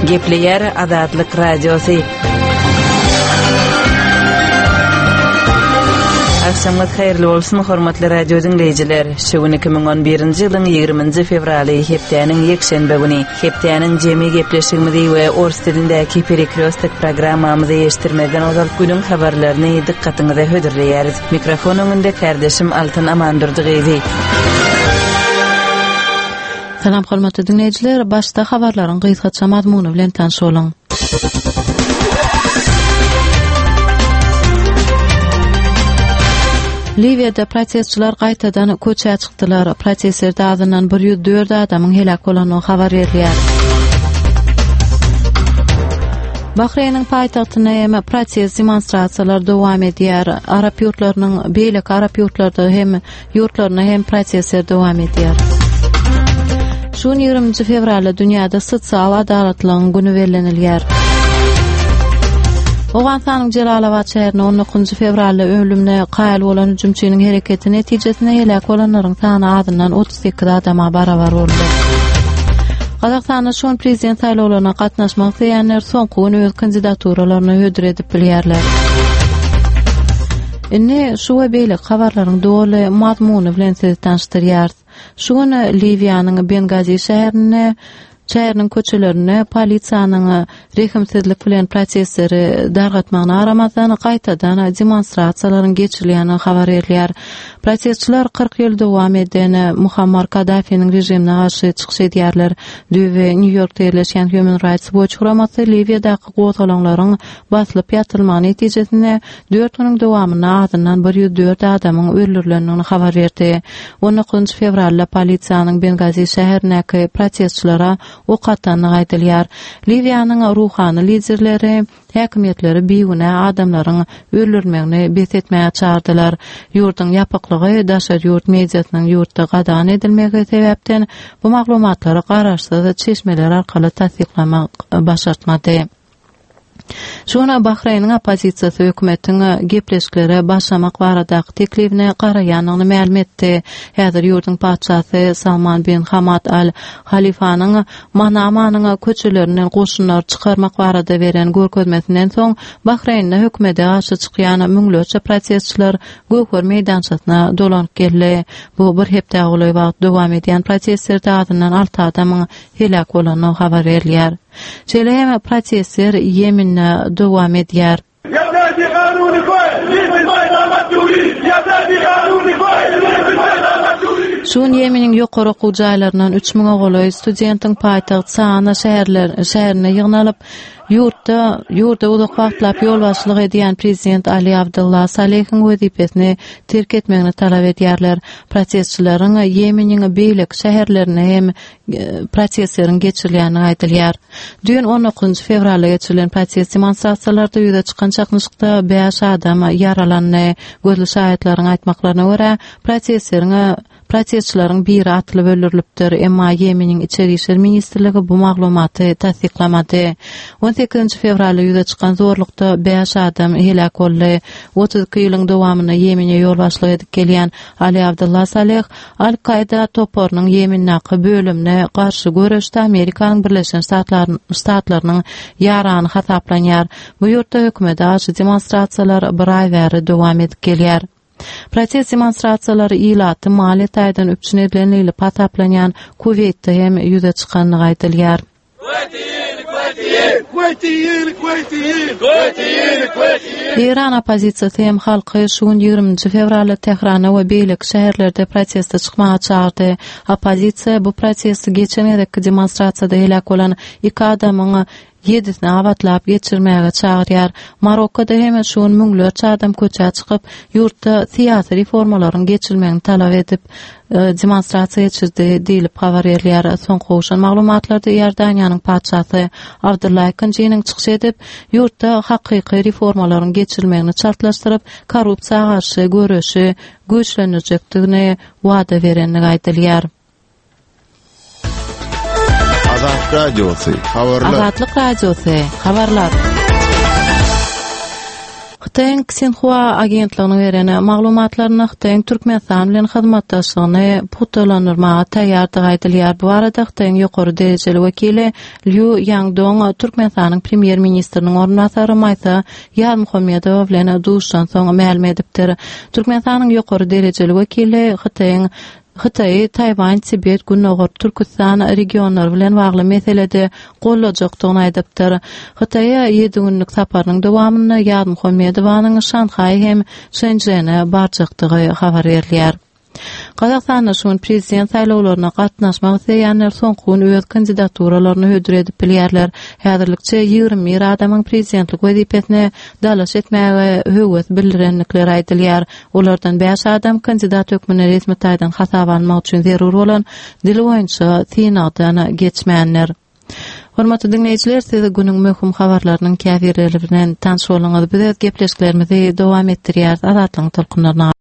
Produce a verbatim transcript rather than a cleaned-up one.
Gepleýär Azatlyk Radiosy. Agşamyňyz haýyrly bolsun, hormatly radio diňleýjiler. Şu gün iki müň on birinji ýylyň ýigriminji fewraly, hepdäniň ýekşenbe güni. Hepdäniň jemi gepleşigimizi we ors dilindäki Perekrýostok programmamyzy eşitdirmezden ozal günüň habarlaryny dykgatyňyza hödürleýäris. Mikrofon öňünde kärdeşim Altyn Amandurdy gyzy. Salam hormatly diňleýjiler, başda habarlaryň gysgaça mazmuny bilen tanyş boluň. Liwiýada protestçiler gaýtadan köçä çykdylar. Protestlerde azyndan bir ýüz dört adamyň heläk bolandygy habar berilýär. Bahreýniň paýtagtynda hem protest demonstrasiýalar dowam edýär. Arap ýurtlarynyň beýleki arap ýurtlarda hem ýurtlarynda hem protestler dowam edýär. Şu gün ýigriminji fewralda dünýäde sosial adalatlygyň güni bellenilýär. Owganystanyň Jelalabat şäherinde on dokuzynjy fewralda ölümine kaýyl bolan hüjümçiniň hereketi netijesinde heläk bolanlaryň sany azyndan otuz sekiz adama barabar boldy. Gazagystanda şu gün prezident saýlawlaryna gatnaşmak isleýänler soňky gün öz kandidaturalaryny hödür edip bilýärler. Indi şu we beýleki habarlaryň doly mazmuny bilen sizi tanyşdyrýarys. Şu gün Liwiýanyň Bengazi şäherinde şäheriniň köçelerinde polisiýanyň rehimsizlik bilen protestleri dargatmagyna garamazdan gaýtadan demonstrasiýalaryň geçirilýändigi habar berilýär. Protestçiler kyrk ýyl dowam eden Muammar Kaddafiniň režimine garşy çykyş edýärler. Düýbi Nýu-Ýorkda ýerleşýän Human Rights Watch guramasy Liwiýadaky gozgalaňlaryň basylyp ýatyrylmagy netijesinde dört günüň dowamynda azyndan bir ýüz dört adamyň öldürilendigini habar berdi. On dokuzynjy fewralda polisiýanyň Bengazi şäherindäki protestçilere ok atandygy aýdylýar. Liwiýanyň ruhany liderleri häkimiýetleri bigünä adamlaryň öldürilmegini bes etmäge çagyrdylar. Ýurduň ýapyklygy daşary ýurt mediasynyň ýurtda gadagan edilmegi sebäpden bu maglumatlary garaşsyz çeşmeler arkaly tassyklamak başartmady. Şu gün Bahreýniň oppozisiýasy hökümetiň gepleşiklere başlamak baradaky teklibine garaýandygyny mälim etdi. Häzir ýurduň patyşasy Salman bin Hamad Al Halifanyň Manamanyň köçelerinden goşunlary çykarmak barada beren görkezmesinden soň Bahreýnde hökümete garşy çykýan müňlerçe protestçiler Göwher meýdançasyna dolanyp geldi. Bu bir hepdä golaý wagt dowam edýän protestlerde azyndan alty adamyň heläk bolandygy habar berilýär. Şeýle hem protestler Ýemende dowam edýär. Şu gün Ýemeniň ýokary okuw jaýlaryndan üç müňe golaý studentiň paýtagt Sana şäherinde ýygnalyp, ýurtda ýurda uzak wagtlap ýolbaşçylyk edýän prezident Ali Abdullah Salehiň wezipesini terk etmegini talap edýärler. Protestçileriň Ýemeniň beýleki şäherlerinde hem protestleriň geçirilýändigi aýdylýar. Düýn on dokuzynjy fewralda geçirilen protest demonstrasiýalarda ýüze çykan çaknyşykda bäş adam ýaralandy. Gözli şaýatlaryň aýtmaklaryna görä, protestleriň protestçileriň biri atylyp öldürilipdir, emma Ýemeniň Içeri işler ministrligi bu maglumaty tassyklamady. On sekizinji fewralda ýüze çykan zorlukda bäş adam heläk boldy. Otuz iki ýylyň dowamynda Ýemene ýolbaşçylyk edip gelýän Ali Abdullah Saleh Al-Kaýda toparynyň Ýemendäki bölümine garşy göreşde Amerikanyň Birleşen Ştatlarynyň ýarany hasaplanýar. Bu ýurtda hökümete garşy demonstrasiýalar bir aý bäri dowam edip gelýär. Protest demonstrasiýalary ilaty maliýe taýdan üpjün edilen diýlip hasaplanýan Kuweýtde hem ýüze çykandygy aýdylýar. Eýran oppozisiýasy hem halky şu gün ýigriminji fewralda Tähranda we beýleki şäherlerde proteste çykmaga çagyrdy. Oppozisiýa bu protesti geçen gezekki demonstrasiýada heläk bolan iki adamyň ýedisini abatlap geçirmäge çagyrýar. Marokkoda hem şu gün müňlerçe adam köçä çykyp, ýurtda syýasy reformalaryň geçirilmegini talap edip, demonstrasiýa geçirdi diýlip habar berilýär. Soňky gowşan maglumatlarda Iordaniýanyň patyşasy Abdylla ikinjiniň çykyş edip, ýurtda hakyky reformalaryň geçirilmegini çaltlaşdyryp, korrupsiýa garşy göreşi güýçlendirjekdigini wada berendigi aýdylýar. Azatlyk Radiosy, habarlar. Azatlyk Radiosy, habarlar. Hytaýyň Xinhua agentliginiň beren maglumatlaryna Hytaýyň Türkmenistan bilen hyzmatdaşlygyny pugtalandyrmaga taýýardygy aýdylýar. Bu arada Hytaýyň ýokary derejeli wekili Liu Yangdong Türkmenistanyň premýer ministriniň orunbasary Maýsa Ýazmuhammedowa bilen duşuşan soň mälim edipdir. Türkmenistanyň ýokary derejeli wekili Hytaýyň Hytaýy, Taýwan, Tibet, Gündogar Türküstan regionlary bilen bagly meselede gollajakdygyny aýdypdyr. Hytaýa ýedi günlük saparynyň dowamynda Ýazmuhammedowanyň Şanhaý hem Şençžene barjakdygy habar berilýär. Gazagystanda şu gün prezident saýlawlaryna gatnaşmak isleýänler soňky gün öz kandidaturalaryny hödür edip bilýärler. Häzirlikçe ýigrimi bir adamyň prezidentlik wezipesine dalaş etmäge höwes bildirendikleri aýdylýar. Olardan bäş adam kandidat hökmünde resmi taýdan hasaba almak üçin zerur bolan dil boýunça synagdan geçmänler. Hormatly diňleýjiler, siz günüň möhüm habarlarynyň käbirleri bilen tanyş bolduňyz. Biz öz gepleşiklerimizi dowam etdirýäris Azatlygyň tolkunlaryna.